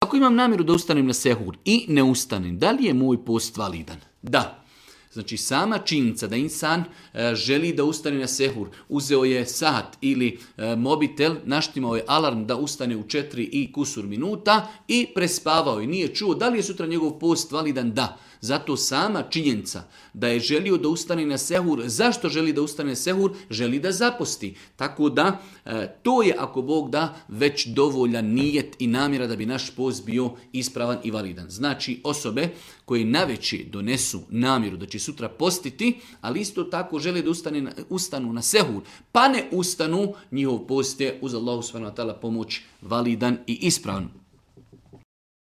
Ako imam namjeru da ustanem na sehur i ne ustanem, da li je moj post validan? Da. Znači sama činjenica da insan želi da ustane na sehur, uzeo je sat ili mobitel, naštimao je alarm da ustane u 4 i kusur minuta i prespavao i nije čuo da li je sutra njegov post validan? Da. Zato sama činjenica da je želio da ustane na sehur, zašto želi da ustane na sehur? Želi da zaposti. Tako da to je, ako Bog da, već dovoljan nijet i namjera da bi naš post bio ispravan i validan. Znači osobe koje naveče donesu namjeru da će sutra postiti, ali isto tako žele da ustanu na sehur, pa ne ustanu, njihov post je uz Allahu subhanahu wa ta'ala pomoć validan i ispravan.